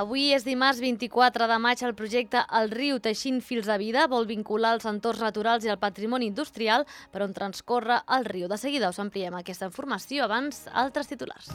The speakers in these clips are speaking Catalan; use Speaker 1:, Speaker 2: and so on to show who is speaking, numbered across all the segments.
Speaker 1: Avui és dimarts 24 de maig. El projecte El riu teixint fils de vida vol vincular els entorns naturals i el patrimoni industrial per on transcorre el riu. De seguida us ampliem aquesta informació, abans altres titulars.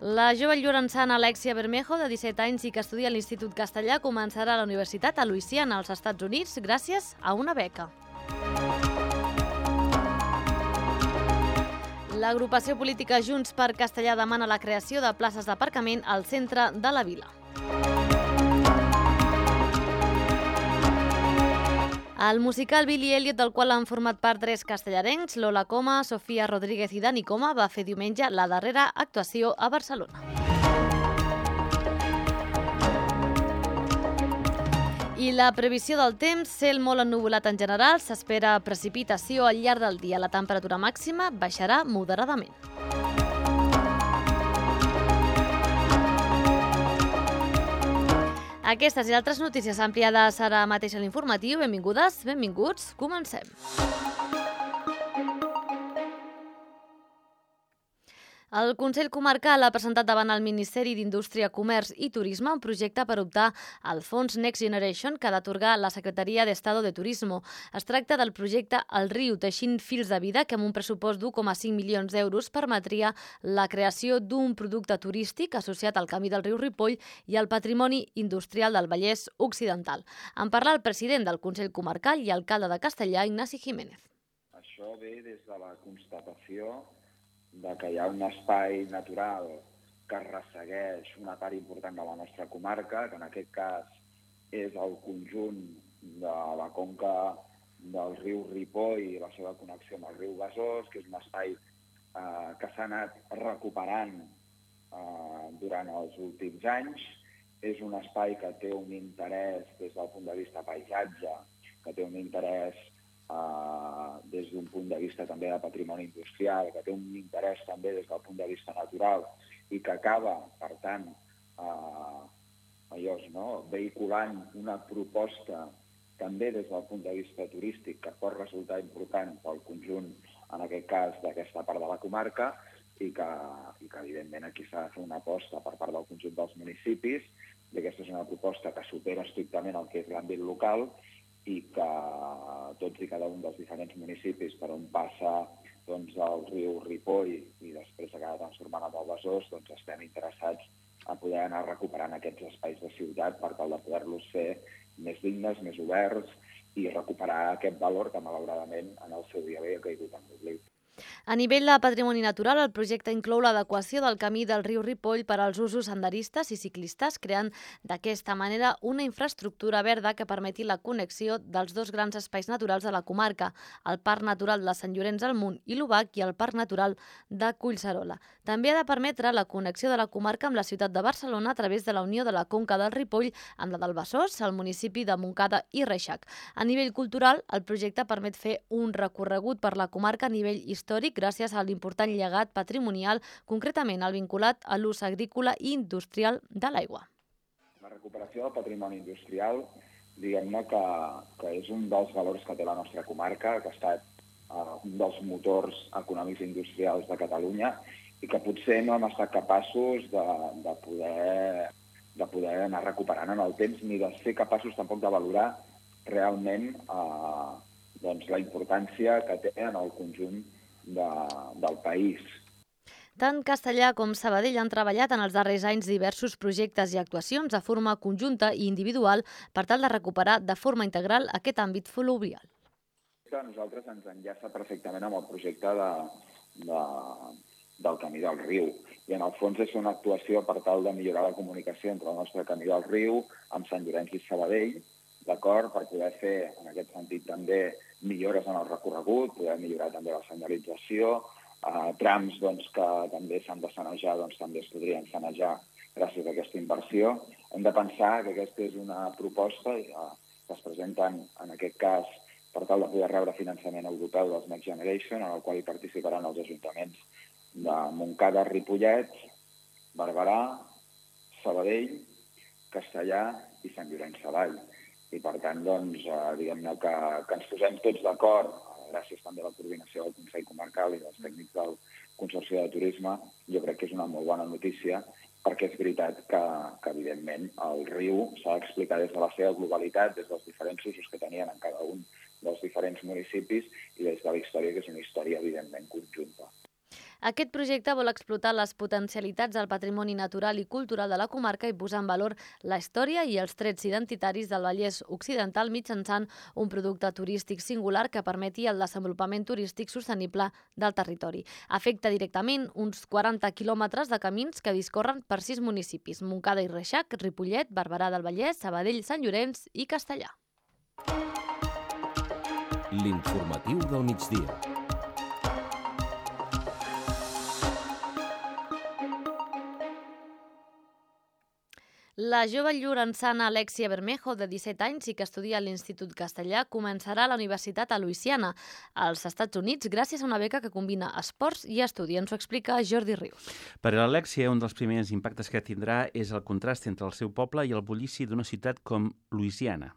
Speaker 1: La jove llorençana Alexia Bermejo, de 17 anys i que estudia a l'Institut Castellà, començarà a la Universitat a Louisiana, als Estats Units, gràcies a una beca. L'agrupació política Junts per Castellà demana la creació de places d'aparcament al centre de la vila. El musical Billy Elliot, del qual han format part 3 castellarencs, Lola Coma, Sofia Rodríguez i Dani Coma, va fer diumenge la darrera actuació a Barcelona. I la previsió del temps, cel molt ennuvolat en general, s'espera precipitació al llarg del dia. La temperatura màxima baixarà moderadament. Aquestes i altres notícies ampliades ara mateix a l'informatiu. Benvingudes, benvinguts, comencem. El Consell Comarcal ha presentat davant el Ministeri d'Indústria, Comerç i Turisme un projecte per optar al fons Next Generation que ha d'atorgar la Secretaria d'Estado de Turismo. Es tracta del projecte El riu teixint fils de vida, que amb un pressupost d'1,5 milions d'euros permetria la creació d'un producte turístic associat al camí del riu Ripoll i al patrimoni industrial del Vallès Occidental. En parla el president del Consell Comarcal i alcalde de Castellà, Ignasi Jiménez.
Speaker 2: Això ve des de la constatació de que hi ha un espai natural que ressegueix una part important de la nostra comarca, que en aquest cas és el conjunt de la conca del riu Ripoll i la seva connexió amb el riu Besòs, que és un espai que s'ha anat recuperant durant els últims anys. És un espai que té un interès des del punt de vista paisatge, que té un interès des d'un punt de vista també de patrimoni industrial, que té un interès també des del punt de vista natural i que acaba, per tant, vehiculant una proposta també des del punt de vista turístic que pot resultar important pel conjunt, en aquest cas, d'aquesta part de la comarca i que evidentment, aquí s'ha de fer una aposta per part del conjunt dels municipis, i aquesta és una proposta que supera estrictament el que és l'àmbit local i que tots i cada un dels diferents municipis per on passa el riu Ripoll i després acaba transformant en el Besòs, estem interessats a poder anar recuperant aquests espais de ciutat per tal de poder-los fer més dignes, més oberts i recuperar aquest valor que malauradament en el seu dia havia caigut en l'oblit.
Speaker 1: A nivell de patrimoni natural, el projecte inclou l'adequació del camí del riu Ripoll per als usos senderistes i ciclistes, creant d'aquesta manera una infraestructura verda que permeti la connexió dels dos grans espais naturals de la comarca, el Parc Natural de Sant Llorenç del Munt i l'Obac i el Parc Natural de Collserola. També ha de permetre la connexió de la comarca amb la ciutat de Barcelona a través de la unió de la conca del Ripoll amb la del Besòs, al municipi de Montcada i Reixac. A nivell cultural, el projecte permet fer un recorregut per la comarca a nivell històric gràcies a l'important llegat patrimonial, concretament el vinculat a l'ús agrícola i industrial de l'aigua.
Speaker 2: La recuperació del patrimoni industrial, diguem-ne que és un dels valors que té la nostra comarca, que ha estat un dels motors econòmics i industrials de Catalunya i que potser no hem estat capaços de poder anar recuperant en el temps ni de ser capaços tampoc de valorar realment la importància que té en el conjunt del país.
Speaker 1: Tant Castellà com Sabadell han treballat en els darrers anys diversos projectes i actuacions de forma conjunta i individual per tal de recuperar de forma integral aquest àmbit fluvial.
Speaker 2: A nosaltres ens enllaça perfectament amb el projecte del Camí del Riu i en el fons és una actuació per tal de millorar la comunicació entre el nostre Camí del Riu amb Sant Llorenç i Sabadell, d'acord, per poder fer en aquest sentit també millores en el recorregut, poder millorar també la senyalització, trams que també s'han de sanejar, també es podrien sanejar gràcies a aquesta inversió. Hem de pensar que aquesta és una proposta que es presenta en aquest cas per tal de poder rebre finançament europeu dels Next Generation, en el qual hi participaran els ajuntaments de Montcada, Ripollet, Barberà, Sabadell, Castellà i Sant Llorenç Savall. I per tant, diguem-ne que ens posem tots d'acord, gràcies també a la coordinació del Consell Comarcal i dels tècnics del Consorci de Turisme, jo crec que és una molt bona notícia, perquè és veritat que evidentment, el riu s'ha d'explicar des de la seva globalitat, des dels diferents usos que tenien en cada un dels diferents municipis i des de la història, que és una història, evidentment, conjunta.
Speaker 1: Aquest projecte vol explotar les potencialitats del patrimoni natural i cultural de la comarca i posar en valor la història i els trets identitaris del Vallès Occidental mitjançant un producte turístic singular que permeti el desenvolupament turístic sostenible del territori. Afecta directament uns 40 quilòmetres de camins que discorren per 6 municipis: Montcada i Reixac, Ripollet, Barberà del Vallès, Sabadell, Sant Llorenç i Castellar.
Speaker 3: L'informatiu del migdia.
Speaker 1: La jove llorençana Alexia Bermejo, de 17 anys i que estudia a l'Institut Castellà, començarà a la Universitat a Louisiana, als Estats Units, gràcies a una beca que combina esports i estudi. Ens ho explica Jordi Rius.
Speaker 4: Per a l'Alexia, un dels primers impactes que tindrà és el contrast entre el seu poble i el bullici d'una ciutat com Louisiana.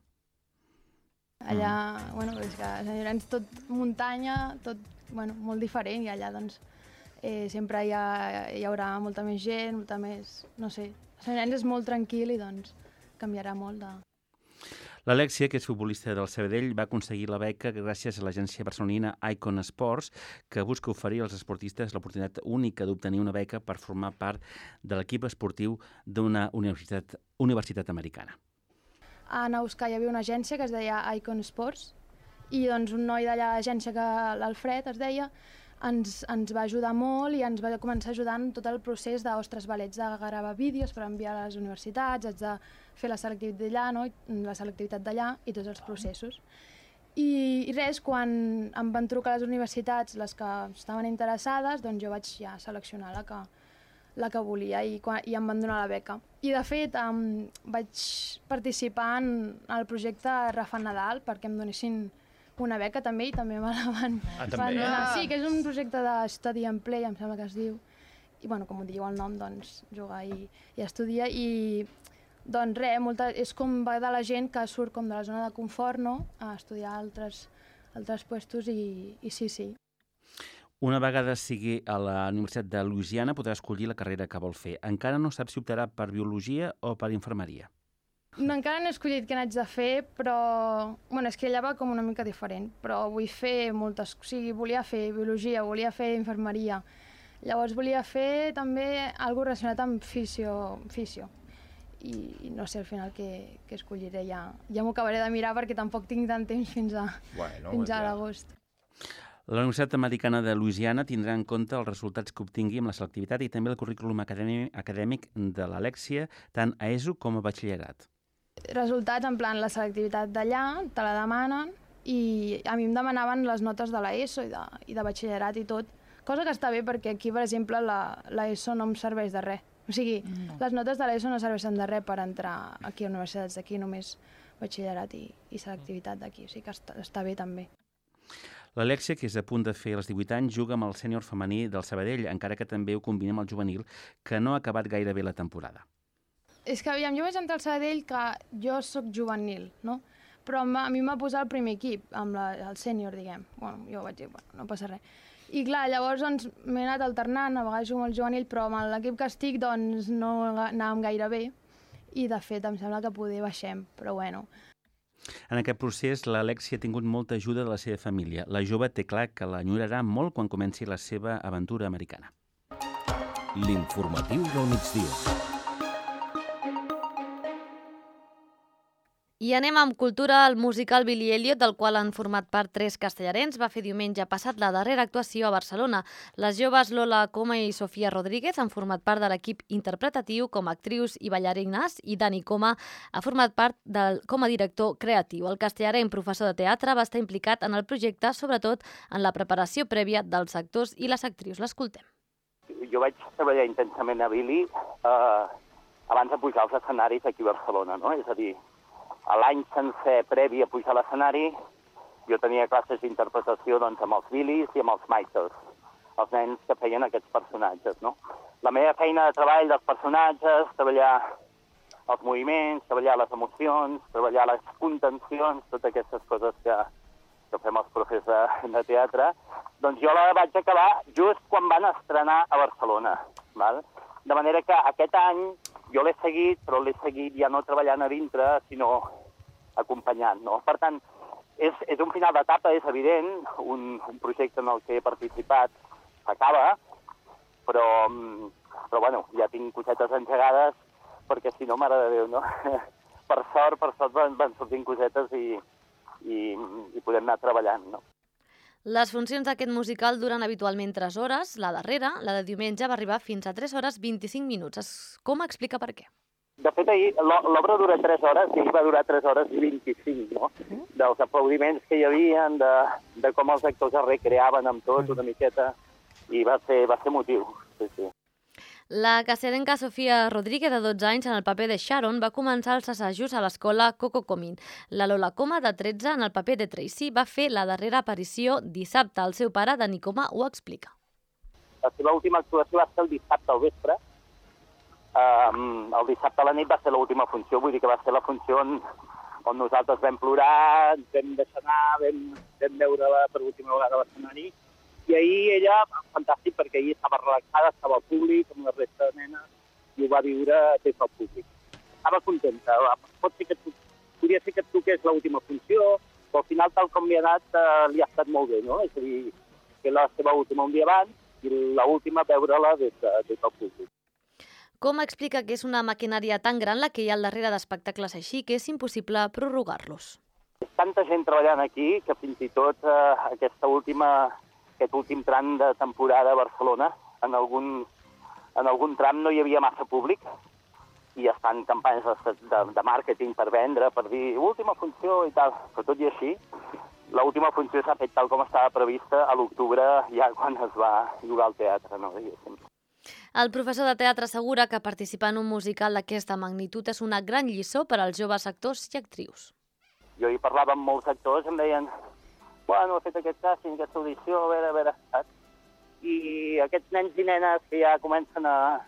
Speaker 5: Allà, és que a Sant Llorenç tot muntanya, tot molt diferent, i allà doncs sempre hi haurà molta més gent, molta més, no sé. Sant Llorenç és molt tranquil i doncs canviarà molt de...
Speaker 4: L'Alexia, que és futbolista del Sabadell, va aconseguir la beca gràcies a l'agència barcelonina Icon Sports, que busca oferir als esportistes l'oportunitat única d'obtenir una beca per formar part de l'equip esportiu d'una universitat americana.
Speaker 5: A Nauscà hi havia una agència que es deia Icon Sports i doncs un noi d'allà a l'agència, l'Alfred es deia, ens va ajudar molt i ens va començar ajudant tot el procés haig de gravar vídeos per enviar a les universitats, haig de fer la selectivitat d'allà i tots els processos. I res, quan em van trucar a les universitats, les que estaven interessades, doncs jo vaig ja seleccionar la que volia i em van donar la beca. I de fet vaig participar en el projecte Rafant Nadal perquè em donessin una beca també, i també me la van donar. Sí, que és un projecte de study and play, em sembla que es diu. I com ho diu el nom, doncs jugar i estudiar. I doncs res, és com va de la gent que surt com de la zona de confort, no?, a estudiar altres puestos i sí.
Speaker 4: Una vegada sigui a la Universitat de Louisiana podrà escollir la carrera que vol fer. Encara no sap si optarà per biologia o per infermeria.
Speaker 5: No, encara no he escollit què n'haig de fer, però... és que allà va com una mica diferent, però vull fer moltes... O sigui, volia fer biologia, volia fer infermeria. Llavors volia fer també alguna cosa relacionat amb fisio. I no sé al final què escolliré. Ja m'ho acabaré de mirar perquè tampoc tinc tant temps fins a l'agost.
Speaker 4: La Universitat Americana de Louisiana tindrà en compte els resultats que obtingui amb la selectivitat i també el currículum acadèmic de l'Alexia, tant a ESO com a batxillerat.
Speaker 5: Resultats, en plan, la selectivitat d'allà, te la demanen, i a mi em demanaven les notes de l'ESO i de batxillerat i tot, cosa que està bé perquè aquí, per exemple, l'ESO no em serveix de res. O sigui, les notes de l'ESO no serveixen de res per entrar aquí a universitats d'aquí, només batxillerat i selectivitat d'aquí, o sigui que està bé també.
Speaker 4: L'Alexia, que és a punt de fer els 18 anys, juga amb el sènior femení del Sabadell, encara que també ho combina amb el juvenil, que no ha acabat gaire bé la temporada.
Speaker 5: És que, aviam, jo vaig entrar al Sabadell que jo sóc juvenil, no? Però a mi m'ha posat el primer equip, amb el sènior, diguem. Jo vaig dir, no passa res. I clar, llavors doncs, m'he anat alternant, a vegades jugo amb el juvenil, però amb l'equip que estic doncs, no anàvem gaire bé. I de fet em sembla que poder baixem, però bueno.
Speaker 4: En aquest procés, l'Alexia ha tingut molta ajuda de la seva família. La jove té clar que l'enyorarà molt quan comenci la seva aventura americana.
Speaker 3: L'informatiu del migdia.
Speaker 1: I anem amb cultura. El musical Billy Elliot, del qual han format part 3 castellarens, va fer diumenge passat la darrera actuació a Barcelona. Les joves Lola Coma i Sofia Rodríguez han format part de l'equip interpretatiu com a actrius i ballarines, i Dani Coma ha format part com a director creatiu. El castellaren, professor de teatre, va estar implicat en el projecte, sobretot en la preparació prèvia dels actors i les actrius. L'escoltem.
Speaker 6: Jo vaig treballar intensament a Billy abans de pujar als escenaris aquí a Barcelona, no? És a dir, a l'any sencer previ a pujar a l'escenari, jo tenia classes d'interpretació doncs, amb els Billys i amb els Michaels, els nens que feien aquests personatges, no? La meva feina de treball dels personatges, treballar els moviments, treballar les emocions, treballar les contencions, totes aquestes coses que fem els professors de teatre, Doncs jo la vaig acabar just quan van estrenar a Barcelona. Val? De manera que aquest any jo l'he seguit, però l'he seguit ja no treballant a dintre, sinó acompanyant. No? Per tant, és un final d'etapa, és evident, un projecte en el que he participat s'acaba, però bueno, ja tinc cosetes engegades, perquè si no, mare de Déu, no? Per sort van sortint cosetes i podem anar treballant, no?
Speaker 1: Les funcions d'aquest musical duren habitualment 3 hores. La darrera, la de diumenge, va arribar fins a 3 hores 25 minuts. Com explica per què?
Speaker 6: De fet, ahir l'obra dura 3 hores i va durar 3 hores i 25, no? Dels aplaudiments que hi havia, de com els actors es recreaven amb tot una miqueta, i va ser motiu, sí.
Speaker 1: La castellenca Sofia Rodríguez, de 12 anys, en el paper de Sharon, va començar els assajos a l'escola Coco Comín. La Lola Coma, de 13, en el paper de Tracy, va fer la darrera aparició dissabte. El seu pare, Dani Coma, ho explica.
Speaker 6: La seva última actuació va ser el dissabte al vespre. El dissabte a la nit va ser l'última funció, vull dir que va ser la funció on nosaltres vam plorar, vam deixar anar, vam veure-la per última vegada a l'escenari. I ahir ella, fantàstic, perquè ahir estava relaxada, estava al públic, amb la resta de nenes, i ho va viure des del públic. Estava contenta. Podria ser que et toqués l'última funció, però al final, tal com li ha anat, li ha estat molt bé, no? És a dir, que la seva última un dia abans i l'última veure-la des del públic.
Speaker 1: Com explica que és una maquinària tan gran la que hi ha al darrere d'espectacles així que és impossible prorrogar-los?
Speaker 6: És tanta gent treballant aquí que fins i tot aquest últim tram de temporada a Barcelona, en algun tram no hi havia massa públic i es fan campanyes de màrqueting per vendre, per dir última funció i tal, però tot i així, l'última funció s'ha fet tal com estava prevista a l'octubre, ja quan es va jugar al teatre, no?
Speaker 1: El professor de teatre assegura que participar en un musical d'aquesta magnitud és una gran lliçó per als joves actors i actrius.
Speaker 6: Jo hi parlava amb molts actors, em deien bueno, he fet aquest càsting, aquesta audició, a veure, saps? I aquests nens i nenes que ja comencen a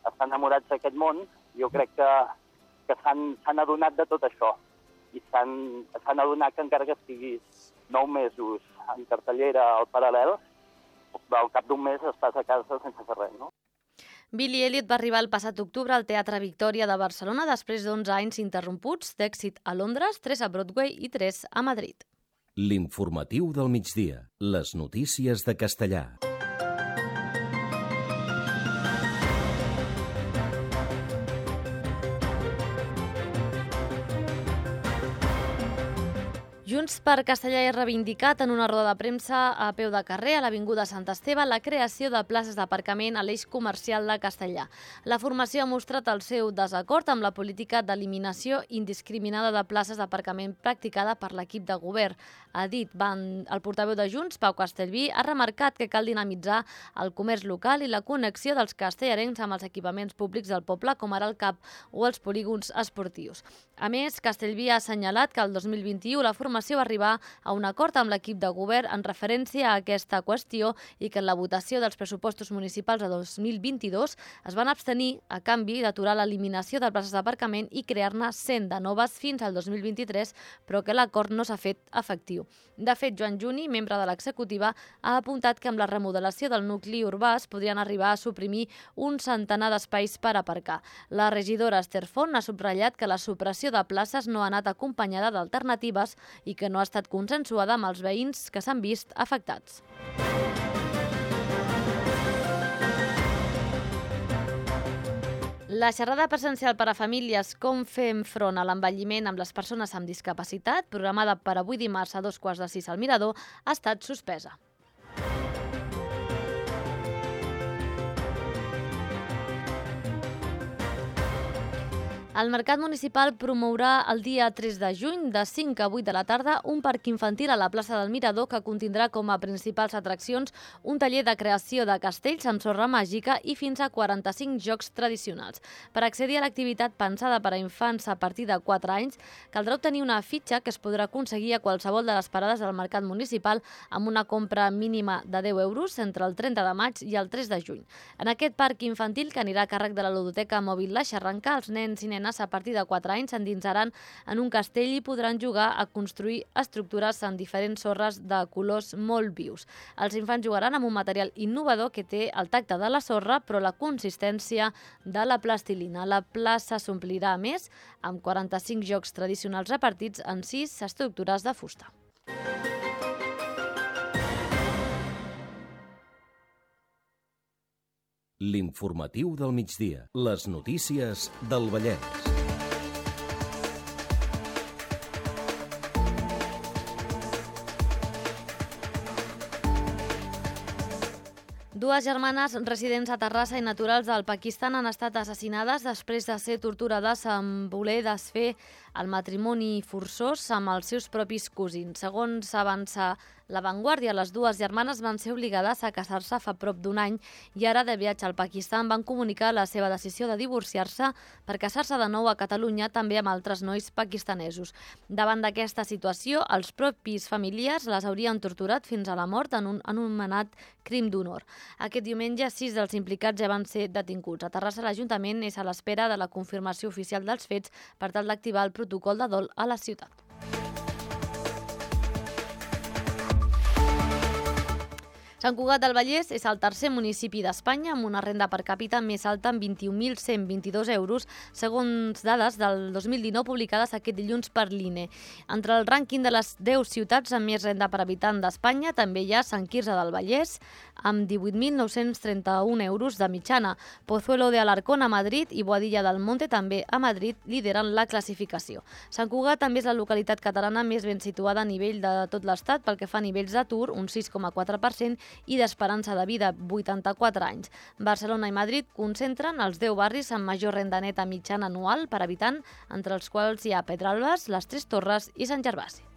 Speaker 6: estar enamorats d'aquest món, jo crec que s'han adonat de tot això. I s'han adonat que encara que estiguis 9 mesos en cartellera al paral·lel, al cap d'un mes estàs a casa sense fer res, no?
Speaker 1: Billy Elliot va arribar el passat octubre al Teatre Victòria de Barcelona després d'11 anys interromputs d'èxit a Londres, 3 a Broadway i 3 a Madrid.
Speaker 3: L'informatiu del migdia. Les notícies de castellà.
Speaker 1: Junts per Castellà ha reivindicat en una roda de premsa a peu de carrer a l'Avinguda Sant Esteve la creació de places d'aparcament a l'eix comercial de Castellà. La formació ha mostrat el seu desacord amb la política d'eliminació indiscriminada de places d'aparcament practicada per l'equip de govern. Ha dit el portaveu de Junts, Pau Castellví, ha remarcat que cal dinamitzar el comerç local i la connexió dels castellarencs amb els equipaments públics del poble, com ara el CAP o els polígons esportius. A més, Castellví ha assenyalat que el 2021 la formació va arribar a un acord amb l'equip de govern en referència a aquesta qüestió i que en la votació dels pressupostos municipals de 2022 es van abstenir a canvi d'aturar l'eliminació de places d'aparcament i crear-ne 100 de noves fins al 2023, però que l'acord no s'ha fet efectiu. De fet, Joan Juni, membre de l'executiva, ha apuntat que amb la remodelació del nucli urbà es podrien arribar a suprimir un centenar d'espais per aparcar. La regidora Esther Font ha subratllat que la supressió de places no ha anat acompanyada d'alternatives i que no ha estat consensuada amb els veïns que s'han vist afectats. La xerrada presencial per a famílies Com fem front a l'envelliment amb les persones amb discapacitat, programada per avui dimarts a 5:45 al Mirador, ha estat suspesa. El Mercat Municipal promourà el dia 3 de juny, de 5 a 8 de la tarda, un parc infantil a la plaça del Mirador que contindrà com a principals atraccions un taller de creació de castells amb sorra màgica i fins a 45 jocs tradicionals. Per accedir a l'activitat pensada per a infants a partir de 4 anys, caldrà obtenir una fitxa que es podrà aconseguir a qualsevol de les parades del Mercat Municipal amb una compra mínima de 10 euros entre el 30 de maig i el 3 de juny. En aquest parc infantil, que anirà a càrrec de la ludoteca mòbil La Xarranca, els nens i nenes nenes a partir de 4 anys s'endinsaran en un castell i podran jugar a construir estructures en diferents sorres de colors molt vius. Els infants jugaran amb un material innovador que té el tacte de la sorra, però la consistència de la plastilina. La plaça s'omplirà, a més, amb 45 jocs tradicionals repartits en 6 estructures de fusta.
Speaker 3: L'informatiu del migdia. Les notícies del Vallès.
Speaker 1: Dues germanes residents a Terrassa i naturals del Pakistan han estat assassinades després de ser torturades amb voler desfer el matrimoni forçós amb els seus propis cosins. Segons avança La Vanguardia, les dues germanes van ser obligades a casar-se fa prop d'un any i ara, de viatge al Pakistan, van comunicar la seva decisió de divorciar-se per casar-se de nou a Catalunya, també amb altres nois pakistanesos. Davant d'aquesta situació, els propis familiars les haurien torturat fins a la mort en un anomenat crim d'honor. Aquest diumenge, 6 dels implicats ja van ser detinguts. A Terrassa, l'Ajuntament és a l'espera de la confirmació oficial dels fets per tal d'activar el protocol de dol a la ciutat. Sant Cugat del Vallès és el tercer municipi d'Espanya amb una renda per càpita més alta amb 21.122 euros, segons dades del 2019 publicades aquest dilluns per l'INE. Entre el rànquing de les 10 ciutats amb més renda per habitant d'Espanya també hi ha Sant Quirze del Vallès, amb 18.931 euros de mitjana. Pozuelo de Alarcón a Madrid i Boadilla del Monte també a Madrid lideren la classificació. Sant Cugat també és la localitat catalana més ben situada a nivell de tot l'Estat pel que fa a nivells d'atur, un 6,4%, i d'esperança de vida, 84 anys. Barcelona i Madrid concentren els 10 barris amb major renda neta mitjana anual per habitant, entre els quals hi ha Pedralbes, les Tres Torres i Sant Gervasi.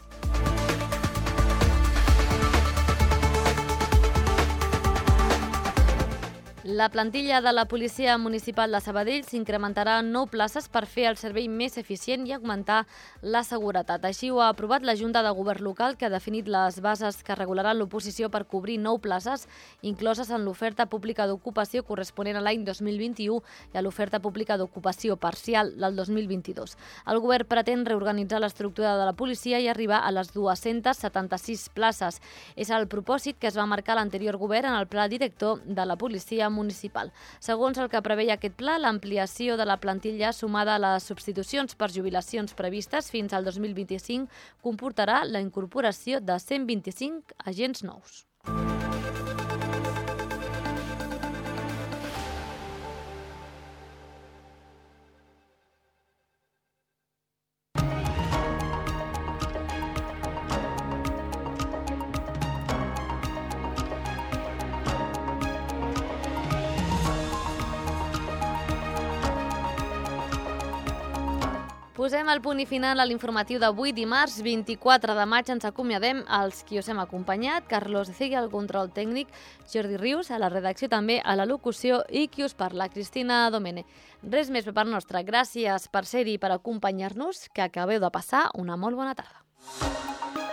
Speaker 1: La plantilla de la Policia Municipal de Sabadell s'incrementarà en 9 places per fer el servei més eficient i augmentar la seguretat. Així ho ha aprovat la Junta de Govern Local, que ha definit les bases que regularan l'oposició per cobrir 9 places, incloses en l'oferta pública d'ocupació corresponent a l'any 2021 i a l'oferta pública d'ocupació parcial del 2022. El govern pretén reorganitzar l'estructura de la policia i arribar a les 276 places. És el propòsit que es va marcar l'anterior govern en el pla director de la policia municipal. Segons el que preveia aquest pla, l'ampliació de la plantilla sumada a les substitucions per jubilacions previstes fins al 2025 comportarà la incorporació de 125 agents nous. Posem el punt i final a l'informatiu d'avui, dimarts 24 de maig. Ens acomiadem als qui us hem acompanyat, Carlos Cegui al control tècnic, Jordi Rius a la redacció, també a la locució, i qui us parla, Cristina Domene. Res més per part nostra. Gràcies per ser-hi i per acompanyar-nos, que acabeu de passar una molt bona tarda.